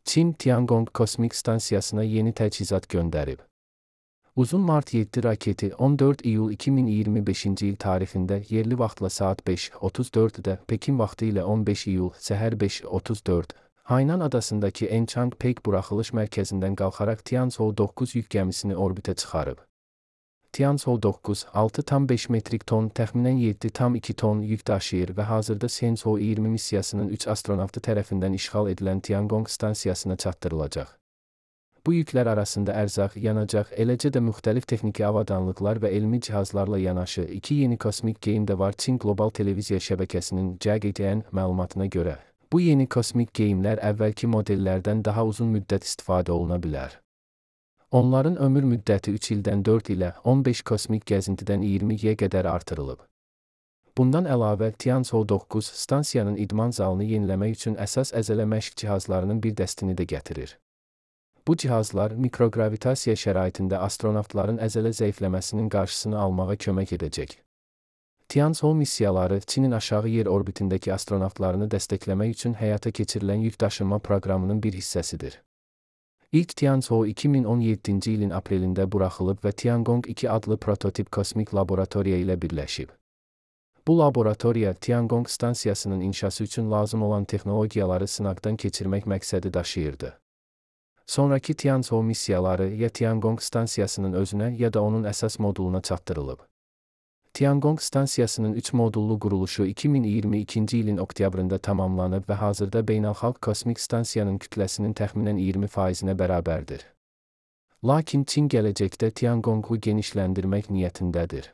Çin Tiangong kosmik stansiyasına yeni təchizat göndərib. Uzun Mart 7 raketi 14 iyul 2025-ci il tarixində yerli vaxtla saat 5:34-də, Pekin vaxtı ilə 15 iyul səhər 5:34, Hainan adasındakı Enchang-Pek buraxılış mərkəzindən qalxaraq Tianzhou 9 yük gəmisini orbitə çıxarıb. Tianzhou 9, 6,5 metrik ton, təxminən 7,2 ton yük daşıyır və hazırda Shenzhou 20 missiyasının 3 astronavtı tərəfindən işğal edilən Tiangong stansiyasına çatdırılacaq. Bu yüklər arasında ərzaq, yanacaq, eləcə də müxtəlif texniki avadanlıqlar və elmi cihazlarla yanaşı 2 yeni kosmik geyim də var. Çin Qlobal Televiziya şəbəkəsinin CGTN məlumatına görə, bu yeni kosmik geyimlər əvvəlki modellərdən daha uzun müddət istifadə oluna bilər. Onların ömür müddəti 3 ildən 4 ilə 15 kosmik gəzintidən 20-yə qədər artırılıb. Bundan əlavə, Tianzhou 9 stansiyanın idman zalını yeniləmək üçün əsas əzələ məşq cihazlarının bir dəstini də gətirir. Bu cihazlar mikrogravitasiya şəraitində astronavtların əzələ zəifləməsinin qarşısını almağa kömək edəcək. Tianzhou missiyaları Çinin aşağı yer orbitindəki astronavtlarını dəstəkləmək üçün həyata keçirilən yükdaşınma proqramının bir hissəsidir. İlk Tianzhou 2017-ci ilin aprelində buraxılıb və Tiangong 2 adlı prototip kosmik laboratoriya ilə birləşib. Bu laboratoriya Tiangong stansiyasının inşası üçün lazım olan texnologiyaları sınaqdan keçirmək məqsədi daşıyırdı. Sonrakı Tianzhou missiyaları ya Tiangong stansiyasının özünə ya da onun əsas moduluna çatdırılıb. Tiangong stansiyasının 3 modullu quruluşu 2022-ci ilin oktyabrında tamamlanıb və hazırda beynəlxalq kosmik stansiyanın kütləsinin təxminən 20%-nə bərabərdir. Lakin Çin gələcəkdə Tiangongu genişləndirmək niyyətindədir.